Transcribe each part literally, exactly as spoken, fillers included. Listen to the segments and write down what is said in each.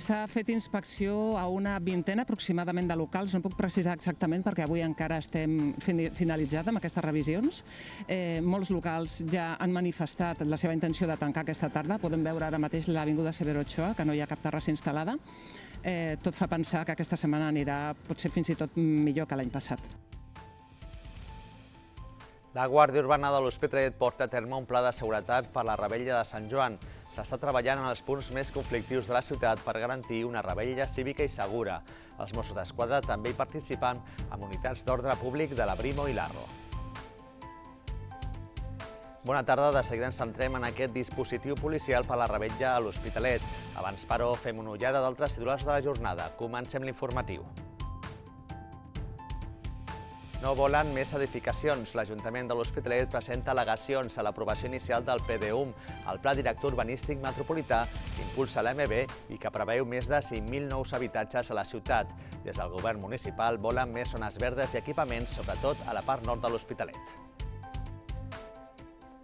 S'ha fet inspecció a una vintena aproximadament de locals, no puc precisar exactament perquè avui encara estem finalitzats amb aquestes revisions. Eh, molts locals ja han manifestat la seva intenció de tancar aquesta tarda. Podem veure ara mateix l'Avinguda Severo Ochoa, que no hi ha cap terrassa instal·lada. Eh, tot fa pensar que aquesta setmana anirà potser fins i tot millor que l'any passat. La Guàrdia Urbana de l'Hospitalet porta a terme un pla de seguretat per la revetlla de Sant Joan. S'està treballant en els punts més conflictius de la ciutat per garantir una revetlla cívica i segura. Els Mossos d'Esquadra també hi participen amb unitats d'ordre públic de la Brimo i l'Arro. Bona tarda, de seguida ens centrem en aquest dispositiu policial per la revetlla a l'Hospitalet. Abans, però, fem una ullada d'altres titulars de la jornada. Comencem l'informatiu. No volen més edificacions. L'Ajuntament de l'Hospitalet presenta al·legacions a l'aprovació inicial del P D U M, el Pla Director Urbanístic Metropolità, que impulsa l'A M B i que preveu més de cinc mil nous habitatges a la ciutat. Des del govern municipal volen més zones verdes i equipaments, sobretot a la part nord de l'Hospitalet.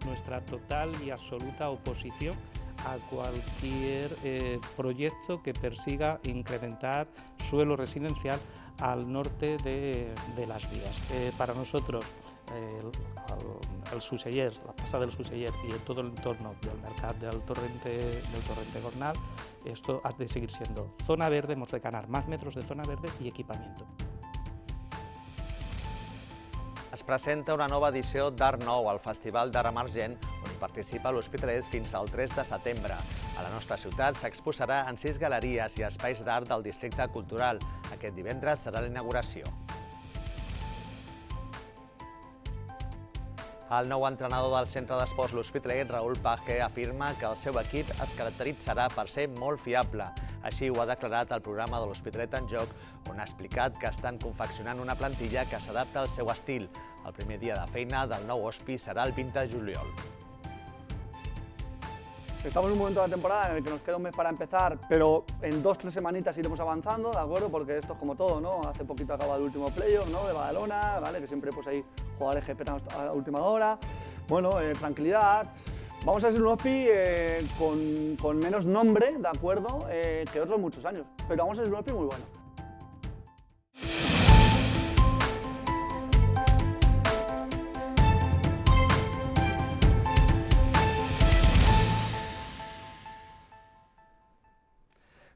Nuestra total y absoluta oposición a cualquier eh, proyecto que persiga incrementar suelo residencial al norte de, de las vías. Eh, para nosotros, eh, el, el Suseller, la plaza del Suseller y todo el entorno del mercado del Torrente, del Torrente Gornal, esto ha de seguir siendo zona verde, hemos de ganar más metros de zona verde y equipamiento. Es presenta una nova edició d'Art Nou al Festival d'Art Emergent, on hi participa l'Hospitalet fins al tres de setembre. A la nostra ciutat s'exposarà en sis galeries i espais d'art del districte cultural. Aquest divendres serà la inauguració. El nou entrenador del centre d'esports l'Hospitalet, Raúl Paje, afirma que el seu equip es caracteritzarà per ser molt fiable. Així ho ha declarat el programa de l'Hospitalet en Joc, on ha explicat que estan confeccionant una plantilla que s'adapta al seu estil. El primer dia de feina del nou hospi serà el vint de juliol. Estamos en un momento de la temporada en el que nos queda un mes para empezar, pero en dos, tres semanitas iremos avanzando, ¿de acuerdo? Porque esto es como todo, ¿no? Hace poquito acaba el último playoff, ¿no? De Badalona, ¿vale? Que siempre pues hay jugadores que esperan a la última hora. Bueno, eh, tranquilidad. Vamos a ser un hospi eh, con, con menos nombre, ¿de acuerdo? Eh, que otros muchos años, pero vamos a ser un hospi muy bueno.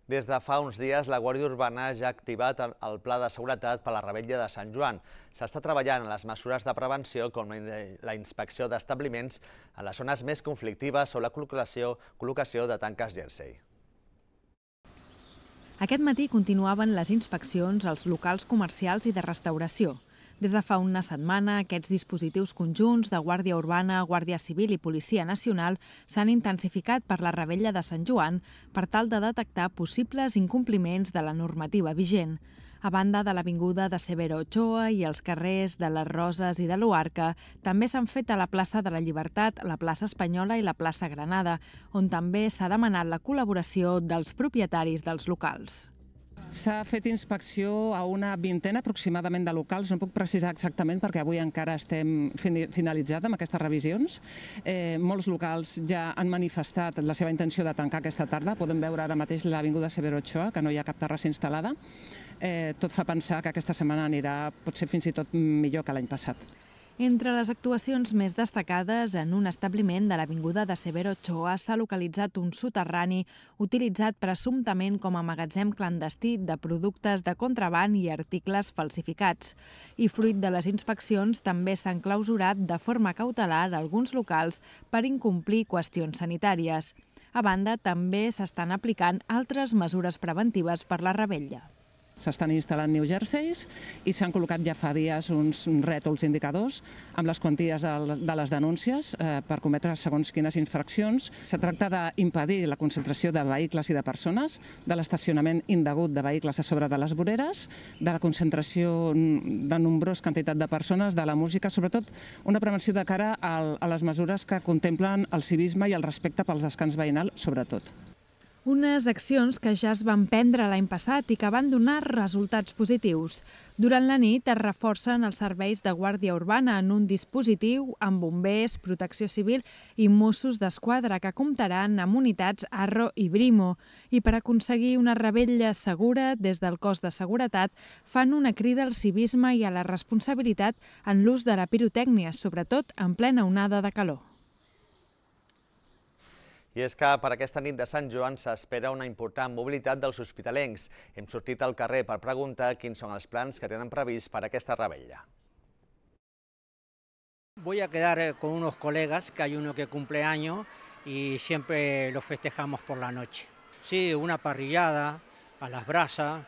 Des de fa uns dies, la Guàrdia Urbana ja ha activat el pla de seguretat per a la revetlla de Sant Joan. S'està treballant en les mesures de prevenció com la inspecció d'establiments en les zones més conflictives o la col·locació, col·locació de tanques jersei. Aquest matí continuaven les inspeccions als locals comercials i de restauració. Des de fa una setmana, aquests dispositius conjunts de Guàrdia Urbana, Guàrdia Civil i Policia Nacional s'han intensificat per la revetlla de Sant Joan per tal de detectar possibles incompliments de la normativa vigent. A banda de l'Avinguda de Severo Ochoa i els carrers de les Roses i de l'Uarca, també s'han fet a la plaça de la Llibertat, la plaça Espanyola i la plaça Granada, on també s'ha demanat la col·laboració dels propietaris dels locals. S'ha fet inspecció a una vintena aproximadament de locals, no puc precisar exactament perquè avui encara estem finalitzats amb aquestes revisions. Eh, molts locals ja han manifestat la seva intenció de tancar aquesta tarda. Podem veure ara mateix l'Avinguda Severo Ochoa, que no hi ha cap terrassa instal·lada. Eh, tot fa pensar que aquesta setmana anirà potser fins i tot millor que l'any passat. Entre les actuacions més destacades, en un establiment de l'Avinguda de Severo Ochoa s'ha localitzat un soterrani utilitzat presumptament com a magatzem clandestí de productes de contraban i articles falsificats. I fruit de les inspeccions també s'han clausurat de forma cautelar alguns locals per incomplir qüestions sanitàries. A banda, també s'estan aplicant altres mesures preventives per la revetlla. S'estan instal·lant new jerseis i s'han col·locat ja fa dies uns rètols indicadors amb les quanties de les denúncies per cometre segons quines infraccions. Se tracta d'impedir la concentració de vehicles i de persones, de l'estacionament indegut de vehicles a sobre de les voreres, de la concentració de nombrosa quantitat de persones, de la música, sobretot una prevenció de cara a les mesures que contemplen el civisme i el respecte pels descans veïnals, sobretot. Unes accions que ja es van prendre l'any passat i que van donar resultats positius. Durant la nit es reforcen els serveis de guàrdia urbana en un dispositiu amb bombers, protecció civil i Mossos d'Esquadra que comptaran amb unitats Arro i Brimo. I per aconseguir una revetlla segura, des del cos de seguretat fan una crida al civisme i a la responsabilitat en l'ús de la pirotècnia, sobretot en plena onada de calor. I és que per aquesta nit de Sant Joan s'espera una important mobilitat dels hospitalencs. Hem sortit al carrer per preguntar quins són els plans que tenen previst per aquesta revetlla. Voy a quedar con unos colegas, que hay uno que cumple años y siempre lo festejamos por la noche. Sí, una parrillada a las brasas,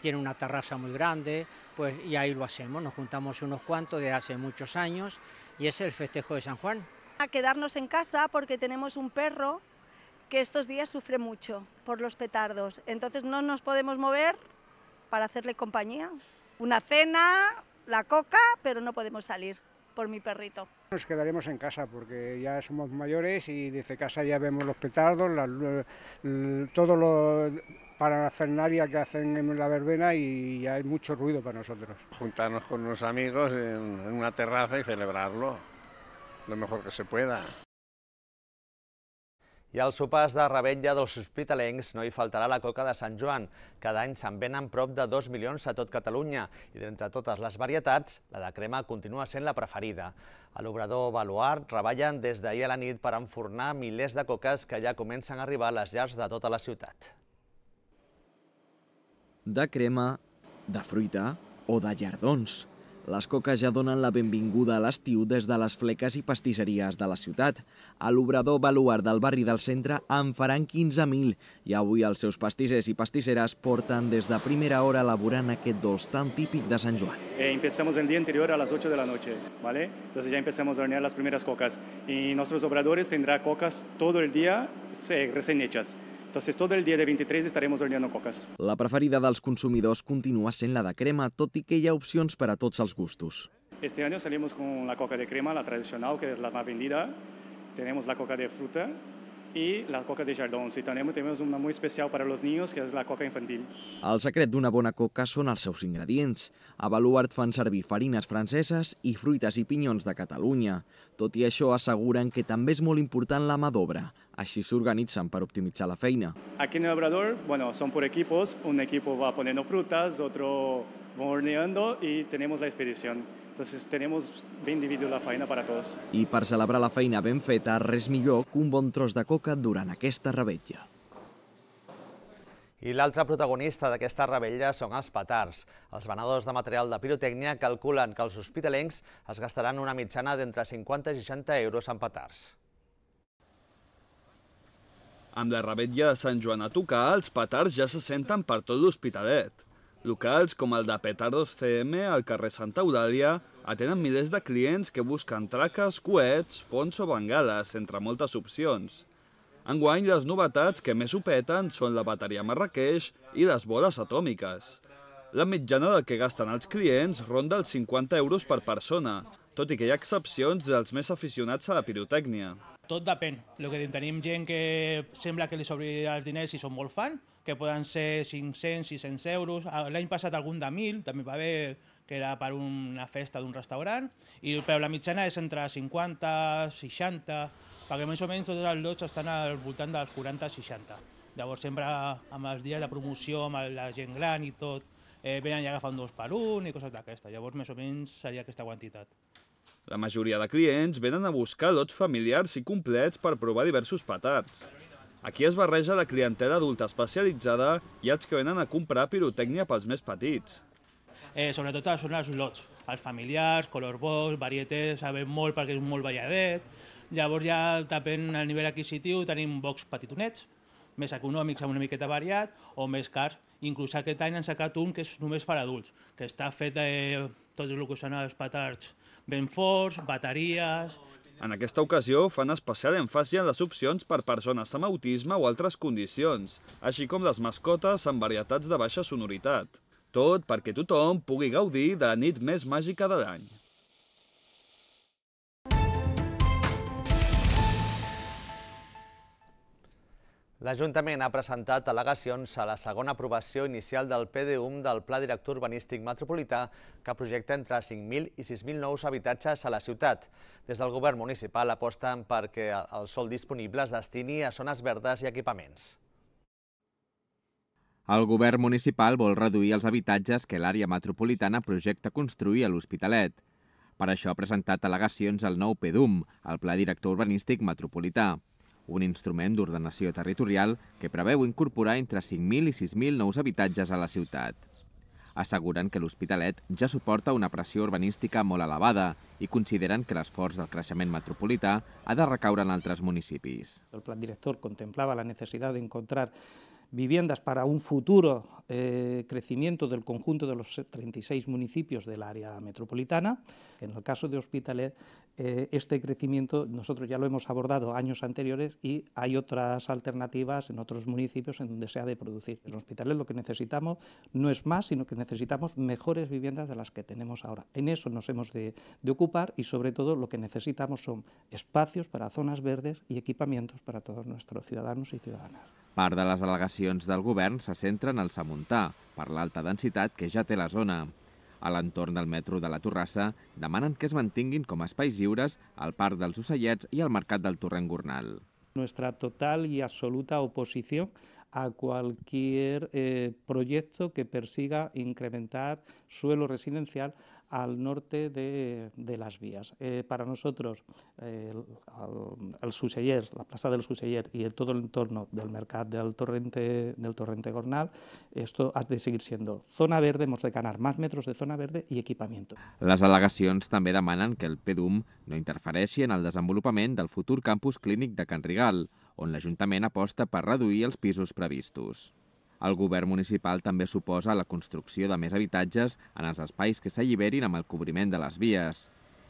tiene una terraza muy grande, pues y ahí lo hacemos. Nos juntamos unos cuantos de hace muchos años y es el festejo de San Juan. A quedarnos en casa porque tenemos un perro que estos días sufre mucho por los petardos. Entonces no nos podemos mover para hacerle compañía. Una cena, la coca, pero no podemos salir por mi perrito. Nos quedaremos en casa porque ya somos mayores y desde casa ya vemos los petardos, la, todo lo parafernalia que hacen en la verbena y ya hay mucho ruido para nosotros. Juntarnos con unos amigos en, en una terraza y celebrarlo lo mejor que se pueda. I als sopars de revetlla dels hospitalencs no hi faltarà la coca de Sant Joan. Cada any se'n venen prop de dos milions a tot Catalunya i d'entre totes les varietats, la de crema continua sent la preferida. A l'obrador Baluard treballen des d'ahir a la nit per enfornar milers de coques que ja comencen a arribar a les llars de tota la ciutat. De crema, de fruita o de llardons. Les coques ja donen la benvinguda a l'estiu des de les fleques i pastisseries de la ciutat. A l'obrador Baluard del barri del centre en faran quinze mil i avui els seus pastissers i pastisseres porten des de primera hora elaborant aquest dolç tan típic de Sant Joan. Eh, empezamos el día anterior a las ocho de la noche, ¿vale? Entonces ya empezamos a hornear las primeras cocas y nuestros obradores tendrán cocas todo el día eh, recién hechas. Entonces, todo el día de veintitrés estaremos horneando cocas. La preferida dels consumidors continua sent la de crema, tot i que hi ha opcions per a tots els gustos. Este año salimos con la coca de crema, la tradicional, que es la más vendida. Tenemos la coca de fruta y la coca de jardins. Y también tenemos una muy especial para los niños, que es la coca infantil. El secret d'una bona coca són els seus ingredients. A Baluard fan servir farines franceses i fruites i pinyons de Catalunya. Tot i això, asseguren que també és molt important la mà d'obra. Així s'organitzen per optimitzar la feina. Aquí en el obrador, bueno, son por equipos. Un equipo va poniendo frutas, otro va horneando y tenemos la expedición. Entonces tenemos ben dividida la feina para todos. I per celebrar la feina ben feta, res millor que un bon tros de coca durant aquesta revetlla. I l'altre protagonista d'aquesta revetlla són els petards. Els venedors de material de pirotècnia calculen que els hospitalencs es gastaran una mitjana d'entre cinquanta i seixanta euros en petards. Amb la revetlla de Sant Joan a tocar, els petards ja se senten per tot l'Hospitalet. Locals com el de Petardos C M al carrer Santa Eulàlia atenen milers de clients que busquen traques, coets, fons o bengales, entre moltes opcions. Enguany, les novetats que més ho peten són la bateria Marrakeix i les boles atòmiques. La mitjana del que gasten els clients ronda els cinquanta euros per persona, tot i que hi ha excepcions dels més aficionats a la pirotècnia. Tot depèn. El que tenim gent que sembla que li s'obrirà els diners i són molt fan, que poden ser cinc-cents, sis-cents euros. L'any passat algun de mil, també va haver que era per una festa d'un restaurant, i, però la mitjana és entre cinquanta, seixanta, perquè més o menys tots els lots estan al voltant dels quaranta a seixanta. Llavors sempre amb els dies de promoció, amb la gent gran i tot, eh, venen i agafen dos per un i coses d'aquestes. Llavors més o menys seria aquesta quantitat. La majoria de clients venen a buscar lots familiars i complets per provar diversos petards. Aquí es barreja la clientela adulta especialitzada i els que venen a comprar pirotècnia pels més petits. Eh, sobretot són els lots, els familiars, color box, varietés, sabem molt perquè és molt variadet. Llavors ja depèn del nivell adquisitiu, tenim box petitonets, més econòmics amb una miqueta variat o més cars. Inclús aquest any han sacat un que és només per adults, que està fet de tot el que són els petards ben forts, bateries. En aquesta ocasió fan especial èmfasi en les opcions per persones amb autisme o altres condicions, així com les mascotes amb varietats de baixa sonoritat. Tot perquè tothom pugui gaudir de la nit més màgica de l'any. L'Ajuntament ha presentat al·legacions a la segona aprovació inicial del P D U M del Pla Director Urbanístic Metropolità, que projecta entre cinc mil i sis mil nous habitatges a la ciutat. Des del govern municipal aposten perquè el sòl disponible es destini a zones verdes i equipaments. El govern municipal vol reduir els habitatges que l'àrea metropolitana projecta construir a l'Hospitalet. Per això ha presentat al·legacions al nou P D U M, el Pla Director Urbanístic Metropolità, un instrument d'ordenació territorial que preveu incorporar entre cinc mil i sis mil nous habitatges a la ciutat. Asseguren que l'Hospitalet ja suporta una pressió urbanística molt elevada i consideren que l'esforç del creixement metropolità ha de recaure en altres municipis. El plan director contemplaba la necesidad de encontrar viviendas para un futuro eh, crecimiento del conjunto de los treinta y seis municipios del área metropolitana. En el caso de Hospitalet, eh, este crecimiento nosotros ya lo hemos abordado años anteriores y hay otras alternativas en otros municipios en donde se ha de producir. En Hospitalet lo que necesitamos no es más, sino que necesitamos mejores viviendas de las que tenemos ahora. En eso nos hemos de, de ocupar y sobre todo lo que necesitamos son espacios para zonas verdes y equipamientos para todos nuestros ciudadanos y ciudadanas. Part de les al·legacions del govern se centren al Samuntà, per l'alta densitat que ja té la zona. A l'entorn del metro de la Torrassa demanen que es mantinguin com a espais lliures el Parc dels Ocellets i el Mercat del Torrent Gornal. Nuestra total y absoluta oposición a cualquier eh, proyecto que persiga incrementar suelo residencial al norte de, de las vías. Eh, para nosotros, eh, el, el Suceller, la plaza del Suceller y el, todo el entorno del mercat del Torrente, del Torrente Gornal, esto ha de seguir siendo zona verde, hemos de ganar más metros de zona verde y equipamiento. Les al·legacions també demanen que el P D U M no interfereixi en el desenvolupament del futur campus clínic de Can Rigal, on l'Ajuntament aposta per reduir els pisos previstos. El govern municipal també suposa la construcció de més habitatges en els espais que s'alliberin amb el cobriment de les vies.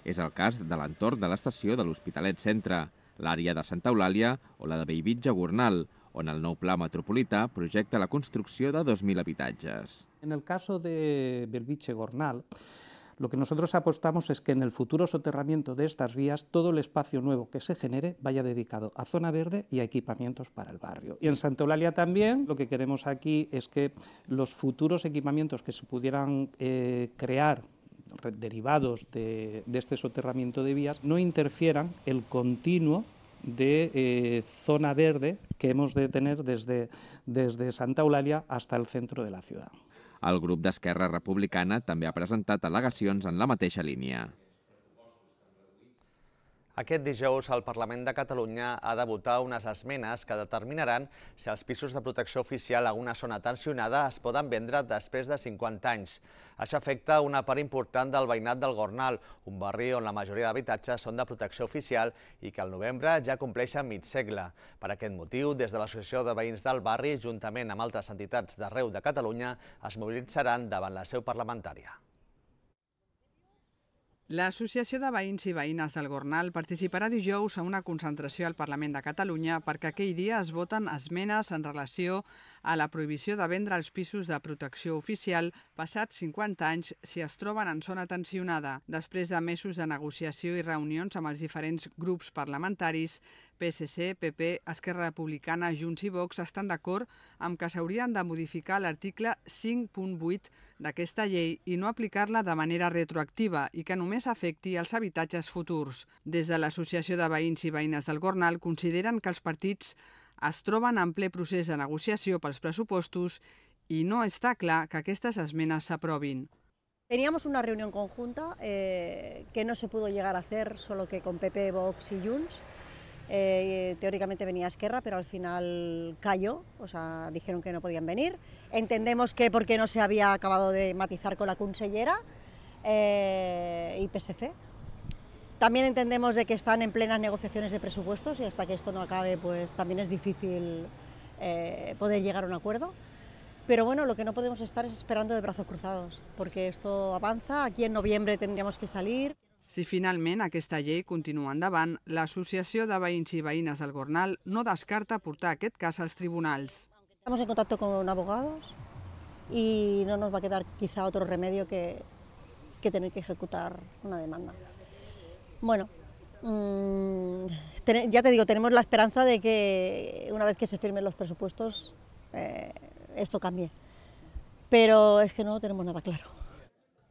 És el cas de l'entorn de l'estació de l'Hospitalet Centre, l'àrea de Santa Eulàlia o la de Bellvitge Gornal, on el nou pla metropolità projecta la construcció de dos mil habitatges. En el caso de Bellvitge Gornal, lo que nosotros apostamos es que en el futuro soterramiento de estas vías todo el espacio nuevo que se genere vaya dedicado a zona verde y a equipamientos para el barrio. Y en Santa Eulalia también lo que queremos aquí es que los futuros equipamientos que se pudieran eh, crear derivados de, de este soterramiento de vías no interfieran el continuo de eh, zona verde que hemos de tener desde, desde Santa Eulalia hasta el centro de la ciudad. El grup d'Esquerra Republicana també ha presentat al·legacions en la mateixa línia. Aquest dijous el Parlament de Catalunya ha de votar unes esmenes que determinaran si els pisos de protecció oficial a una zona tensionada es poden vendre després de cinquanta anys. Això afecta una part important del veïnat del Gornal, un barri on la majoria d'habitatges són de protecció oficial i que al novembre ja compleixen mig segle. Per aquest motiu, des de l'Associació de Veïns del Barri, juntament amb altres entitats d'arreu de Catalunya, es mobilitzaran davant la seu parlamentària. L'Associació de Veïns i Veïnes del Gornal participarà dijous a una concentració al Parlament de Catalunya perquè aquell dia es voten esmenes en relació a la prohibició de vendre els pisos de protecció oficial passats cinquanta anys si es troben en zona tensionada. Després de mesos de negociació i reunions amb els diferents grups parlamentaris, P S C, P P, Esquerra Republicana, Junts i Vox estan d'acord amb que s'haurien de modificar l'article cinc punt vuit d'aquesta llei i no aplicar-la de manera retroactiva i que només afecti els habitatges futurs. Des de l'Associació de Veïns i Veïnes del Gornal consideren que els partits es troben en ple procés de negociació pels pressupostos i no està clar que aquestes esmenes s'aprovin. Teníamos una reunión conjunta eh, que no se pudo llegar a hacer, solo que con P P, Vox y Junts. Eh, teóricamente venía Esquerra, pero al final cayó, o sea, dijeron que no podían venir. Entendemos que porque no se había acabado de matizar con la consellera eh, y P S C. También entendemos de que están en plenas negociaciones de presupuestos y hasta que esto no acabe, pues también es difícil eh, poder llegar a un acuerdo. Pero bueno, lo que no podemos estar es esperando de brazos cruzados, porque esto avanza, aquí en noviembre tendríamos que salir. Si finalment aquesta llei continua endavant, l'Associació de Veïns i Veïnes del Gornal no descarta portar aquest cas als tribunals. Estamos en contacto con abogados y no nos va a quedar quizá otro remedio que, que tener que ejecutar una demanda. Bueno, mmm, ten, ya te digo, tenemos la esperanza de que una vez que se firmen los presupuestos eh, esto cambie, pero es que no tenemos nada claro.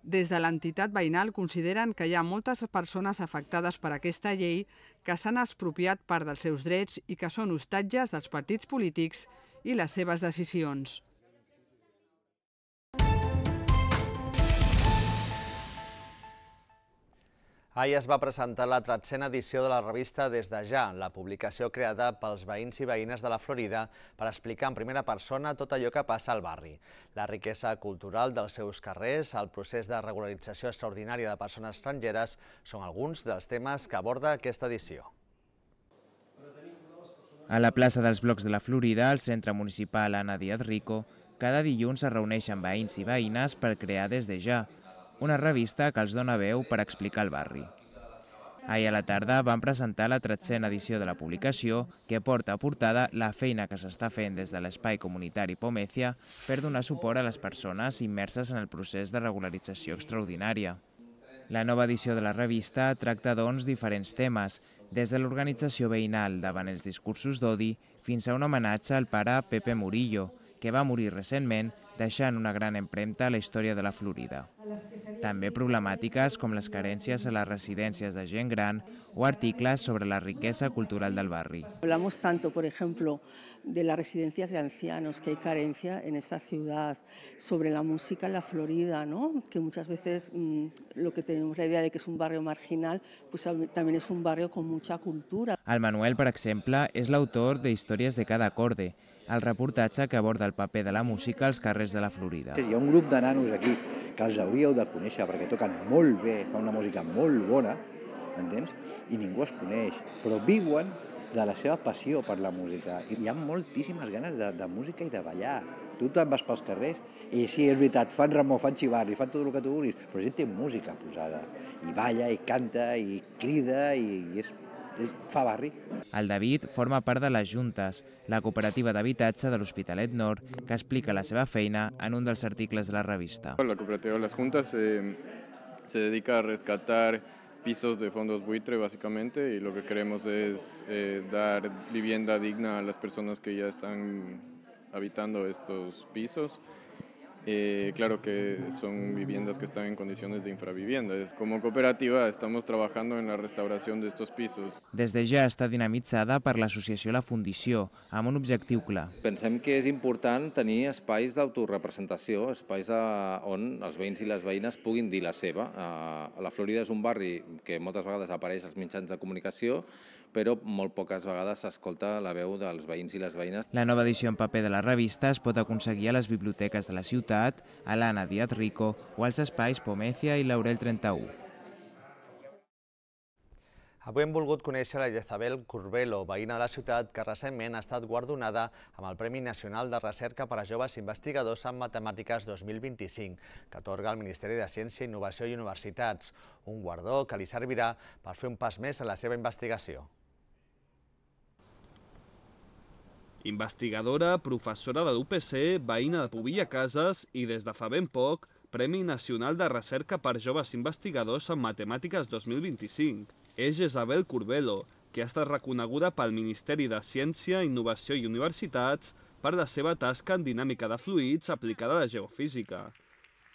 Des de l'entitat veïnal consideren que hi ha moltes persones afectades per aquesta llei que s'han expropiat part dels seus drets i que són hostatges dels partits polítics i les seves decisions. Ahir es va presentar la tretzena edició de la revista Des de Ja, la publicació creada pels veïns i veïnes de la Florida per explicar en primera persona tot allò que passa al barri. La riquesa cultural dels seus carrers, el procés de regularització extraordinària de persones estrangeres són alguns dels temes que aborda aquesta edició. A la plaça dels Blocs de la Florida, al centre municipal Ana Díaz Rico, cada dilluns es reuneixen veïns i veïnes per crear Des de Ja, una revista que els dona veu per explicar el barri. Ahir a la tarda van presentar la tretzena edició de la publicació, que porta a portada la feina que s'està fent des de l'espai comunitari Pomezia per donar suport a les persones immerses en el procés de regularització extraordinària. La nova edició de la revista tracta, doncs, diferents temes, des de l'organització veïnal davant els discursos d'odi fins a un homenatge al pare Pepe Murillo, que va morir recentment deixant una gran empremta a la història de la Florida. També problemàtiques com les carències a les residències de gent gran o articles sobre la riquesa cultural del barri. Hablamos tanto, por ejemplo, de las residencias de ancianos, que hay carencia en esta ciudad, sobre la música en la Florida, ¿no? Que muchas veces mmm, lo que tenemos la idea de que es un barrio marginal, pues también es un barrio con mucha cultura. El Manuel, per exemple, és l'autor de Històries de cada acorde, el reportatge que aborda el paper de la música als carrers de la Florida. Hi ha un grup de nanos aquí que els hauríeu de conèixer perquè toquen molt bé, fan una música molt bona, entens? I ningú els coneix, però viuen de la seva passió per la música. I hi ha moltíssimes ganes de, de música i de ballar. Tu te'n vas pels carrers i sí, és veritat, fan remor, fan xivarri, fan tot el que tu vulguis, però la gent té música posada. I balla, i canta, i crida, i, i és... fa barri. El David forma part de les Juntes, la cooperativa d'habitatge de l'Hospitalet Nord, que explica la seva feina en un dels articles de la revista. La cooperativa de las Juntas eh, se dedica a rescatar pisos de fondos buitre básicamente y lo que queremos es eh, dar vivienda digna a las personas que ya están habitando estos pisos. Eh, claro que son viviendas que están en condiciones de infravivienda. Como cooperativa estamos trabajando en la restauración de estos pisos. Des de Ja està dinamitzada per l'associació La Fundició, amb un objectiu clar. Pensem que és important tenir espais d'autorepresentació, espais on els veïns i les veïnes puguin dir la seva. La Florida és un barri que moltes vegades apareix als mitjans de comunicació, però molt poques vegades s'escolta la veu dels veïns i les veïnes. La nova edició en paper de la revista es pot aconseguir a les biblioteques de la ciutat, a l'Ana Díaz Rico o als espais Pomezia i Laurel trenta-u. Avui hem volgut conèixer la Jezabel Curbelo, veïna de la ciutat, que recentment ha estat guardonada amb el Premi Nacional de Recerca per a Joves Investigadors en Matemàtiques dos mil vint-i-cinc, que atorga el Ministeri de Ciència, Innovació i Universitats, un guardó que li servirà per fer un pas més en la seva investigació. Investigadora, professora de l'U P C, veïna de Pobilla Cases i des de fa ben poc, Premi Nacional de Recerca per Joves Investigadors en Matemàtiques dos mil vint-i-cinc. És Jezabel Curbelo, que ha estat reconeguda pel Ministeri de Ciència, Innovació i Universitats per la seva tasca en dinàmica de fluids aplicada a la geofísica.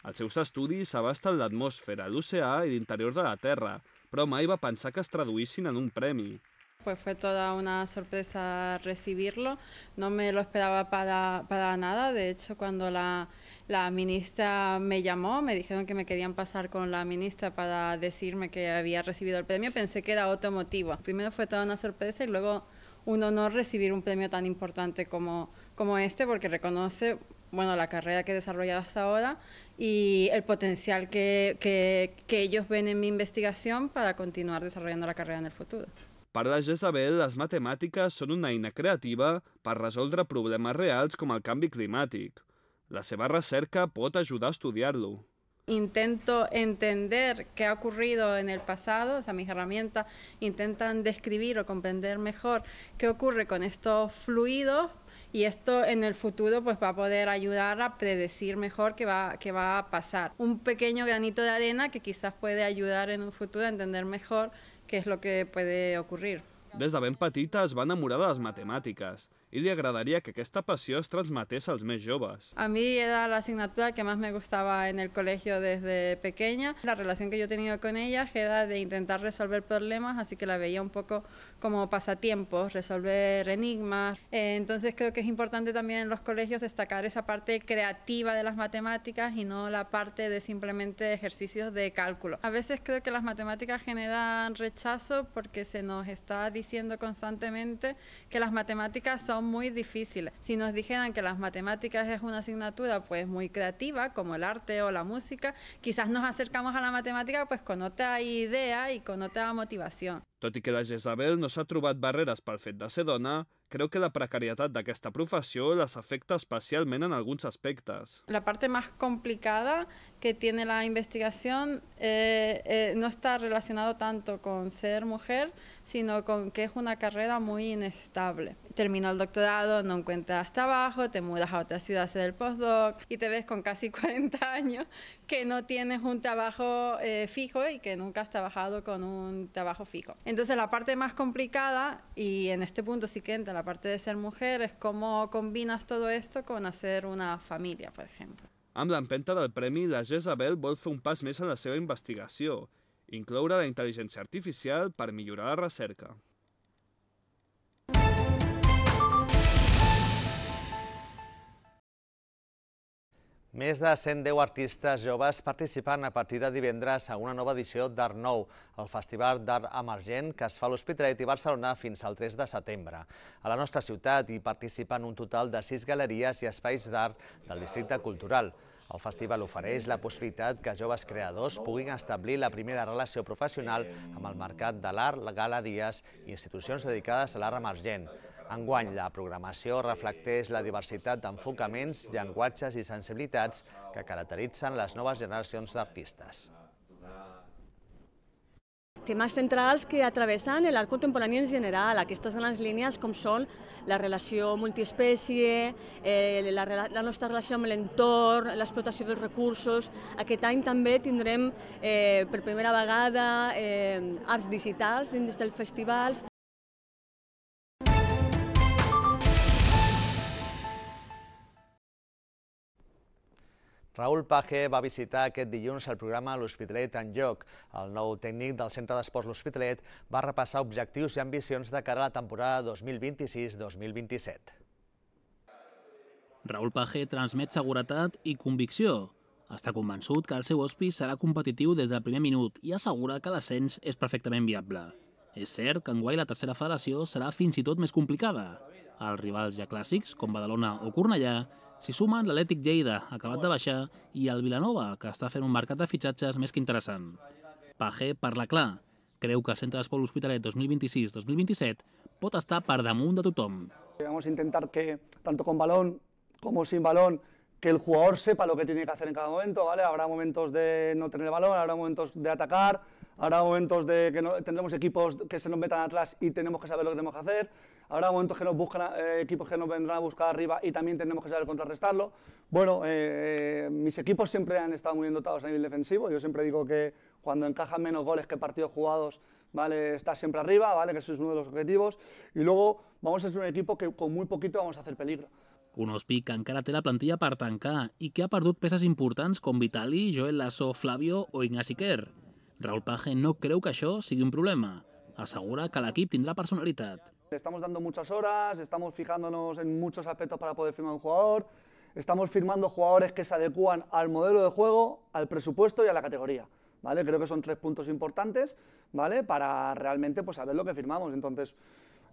Els seus estudis abasten l'atmosfera, l'oceà i l'interior de la Terra, però mai va pensar que es traduïssin en un premi. Pues fue toda una sorpresa recibirlo, no me lo esperaba para, para nada. De hecho, cuando la, la ministra me llamó, me dijeron que me querían pasar con la ministra para decirme que había recibido el premio, pensé que era otro motivo. Primero fue toda una sorpresa y luego un honor recibir un premio tan importante como, como este, porque reconoce bueno, la carrera que he desarrollado hasta ahora y el potencial que, que, que ellos ven en mi investigación para continuar desarrollando la carrera en el futuro. Per la Jezabel, les matemàtiques són una eina creativa per resoldre problemes reals com el canvi climàtic. La seva recerca pot ajudar a estudiar-lo. Intento entender qué ha ocurrido en el pasado, o sea, mis herramientas intentan describir o comprender mejor qué ocurre con estos fluidos y esto en el futuro pues va a poder ayudar a predecir mejor qué va, qué va a pasar. Un pequeño granito de arena que quizás puede ayudar en un futuro a entender mejor qué es lo que puede ocurrir. Des de ben petita es va enamorar de les matemàtiques i li agradaria que aquesta passió es transmetés als més joves. A mí era la asignatura que más me gustaba en el colegio desde pequeña. La relación que yo he tenido con ellas era de intentar resolver problemas, así que la veía un poco como pasatiempos, resolver enigmas. Eh, entonces creo que es importante también en los colegios destacar esa parte creativa de las matemáticas y no la parte de simplemente ejercicios de cálculo. A veces creo que las matemáticas generan rechazo porque se nos está diciendo constantemente que las matemáticas son muy difíciles. Si nos dijeran que las matemáticas es una asignatura pues muy creativa, como el arte o la música, quizás nos acercamos a la matemática pues con otra idea y con otra motivación. Tot i que la Jezabel no s'ha trobat barreres pel fet de ser dona, creu que la precarietat d'aquesta professió les afecta especialment en alguns aspectes. La parte más complicada que tiene la investigación eh, eh, no está relacionado tanto con ser mujer, sino con que es una carrera muy inestable. Terminó el doctorado, no encuentras trabajo, te mudas a otra ciudad a hacer el postdoc y te ves con casi cuarenta años que no tienes un trabajo eh, fijo y que nunca has trabajado con un trabajo fijo. Entonces la parte más complicada, y en este punto sí que entra la parte de ser mujer, es cómo combinas todo esto con hacer una familia, por ejemplo. Amb l'empenta del premi, la Jezabel vol fer un pas més en la seva investigació, incloure la intel·ligència artificial per millorar la recerca. Més de cent deu artistes joves participen a partir de divendres a una nova edició d'Art Nou, el Festival d'Art Emergent que es fa a l'Hospitalet i Barcelona fins al tres de setembre. A la nostra ciutat hi participen un total de sis galeries i espais d'art del districte cultural. El festival ofereix la possibilitat que joves creadors puguin establir la primera relació professional amb el mercat de l'art, galeries i institucions dedicades a l'art emergent. Enguany, la programació reflecteix la diversitat d'enfocaments, llenguatges i sensibilitats que caracteritzen les noves generacions d'artistes. Temes centrals que atravessen l'art contemporani en general. Aquestes són les línies com són la relació multiespècie, eh, la, la nostra relació amb l'entorn, l'explotació dels recursos. Aquest any també tindrem eh, per primera vegada eh, arts digitals dins dels festivals. Raül Page va visitar aquest dilluns el programa L'Hospitalet en Joc. El nou tècnic del Centre d'Esports L'Hospitalet va repassar objectius i ambicions de cara a la temporada dos mil vint-i-sis dos mil vint-i-set. Raül Page transmet seguretat i convicció. Està convençut que el seu hospice serà competitiu des del primer minut i assegura que l'ascens és perfectament viable. És cert que enguany la tercera federació serà fins i tot més complicada. Els rivals ja clàssics, com Badalona o Cornellà, s'hi sumen l'Atlètic Lleida, acabat de baixar, i el Vilanova, que està fent un mercat de fitxatges més que interessant. Page parla clar. Creu que el Centre d'Esport L'Hospitalet dos mil vint-i-sis dos mil vint-i-set pot estar per damunt de tothom. Vamos a intentar que, tanto con balón como sin balón, que el jugador sepa lo que tiene que hacer en cada momento, ¿vale? Habrá momentos de no tener el balón, habrá momentos de atacar, habrá momentos de que no, tendremos equipos que se nos metan atrás y tenemos que saber lo que tenemos que hacer, habrá momentos que nos buscan eh, equipos que nos vendrán a buscar arriba y también tenemos que saber contrarrestarlo. Bueno, eh, mis equipos siempre han estado muy bien dotados a nivel defensivo. Yo siempre digo que cuando encajan menos goles que partidos jugados, ¿vale? Está siempre arriba, ¿vale? Que eso es uno de los objetivos. Y luego vamos a ser un equipo que con muy poquito vamos a hacer peligro. Un Hospi que encara té la plantilla per tancar i que ha perdut peces importants com Vitali, Joel Lasso, Flavio o Ignasi Quer. Raül Page no creu que això sigui un problema. Assegura que l'equip tindrà personalitat. Estamos dando muchas horas, estamos fijándonos en muchos aspectos para poder firmar un jugador, estamos firmando jugadores que se adecúan al modelo de juego, al presupuesto y a la categoría, ¿vale? Creo que son tres puntos importantes, ¿vale? Para realmente pues, saber lo que firmamos. Entonces,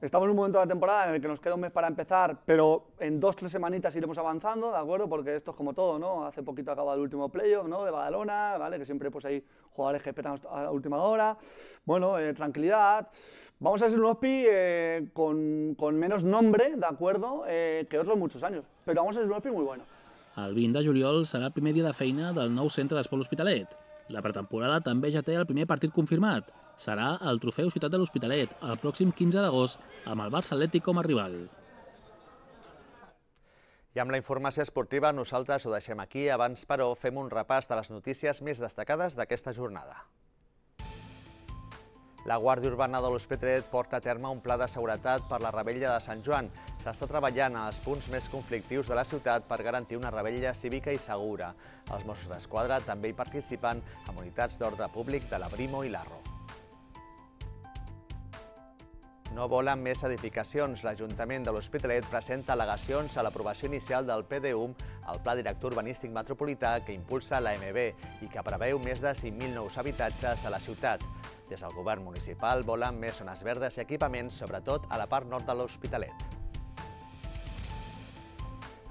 estamos en un momento de la temporada en el que nos queda un mes para empezar, pero en dos, tres semanitas iremos avanzando, ¿de acuerdo? Porque esto es como todo, ¿no? Hace poquito acaba el último playoff, ¿no? De Badalona, ¿vale? Que siempre pues, hay jugadores que esperan a la última hora. Bueno, eh, tranquilidad. Vamos a ser un Hospi eh, con, con menos nombre, ¿de acuerdo? Eh, que otros muchos años, pero vamos a ser un Hospi muy bueno. El vint de juliol serà el primer dia de feina del nou Centre d'Esport L'Hospitalet. La pretemporada també ja té el primer partit confirmat. Serà el Trofeu Ciutat de l'Hospitalet, el pròxim quinze d'agost, amb el Barça Atlètic com a rival. I amb la informació esportiva nosaltres ho deixem aquí. Abans, però, fem un repàs de les notícies més destacades d'aquesta jornada. La Guàrdia Urbana de l'Hospitalet porta a terme un pla de seguretat per la revetlla de Sant Joan. S'està treballant als punts més conflictius de la ciutat per garantir una revetlla cívica i segura. Els Mossos d'Esquadra també hi participen amb unitats d'ordre públic de la Brimo i l'Arro. No volen més edificacions. L'Ajuntament de l'Hospitalet presenta al·legacions a l'aprovació inicial del P D U M, el Pla Director Urbanístic Metropolità que impulsa l'A M B i que preveu més de cinc mil nous habitatges a la ciutat. Des del govern municipal volen més zones verdes i equipaments, sobretot a la part nord de l'Hospitalet.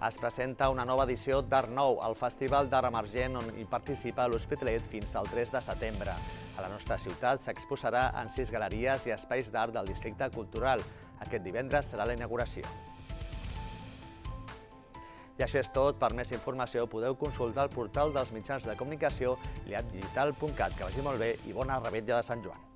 Es presenta una nova edició d'Art Nou, el Festival d'Art Emergent on hi participa l'Hospitalet fins al tres de setembre. A la nostra ciutat s'exposarà en sis galeries i espais d'art del districte cultural. Aquest divendres serà la inauguració. I això és tot. Per més informació podeu consultar el portal dels mitjans de comunicació liat digital punt cat. Que vagi molt bé i bona revetlla de Sant Joan.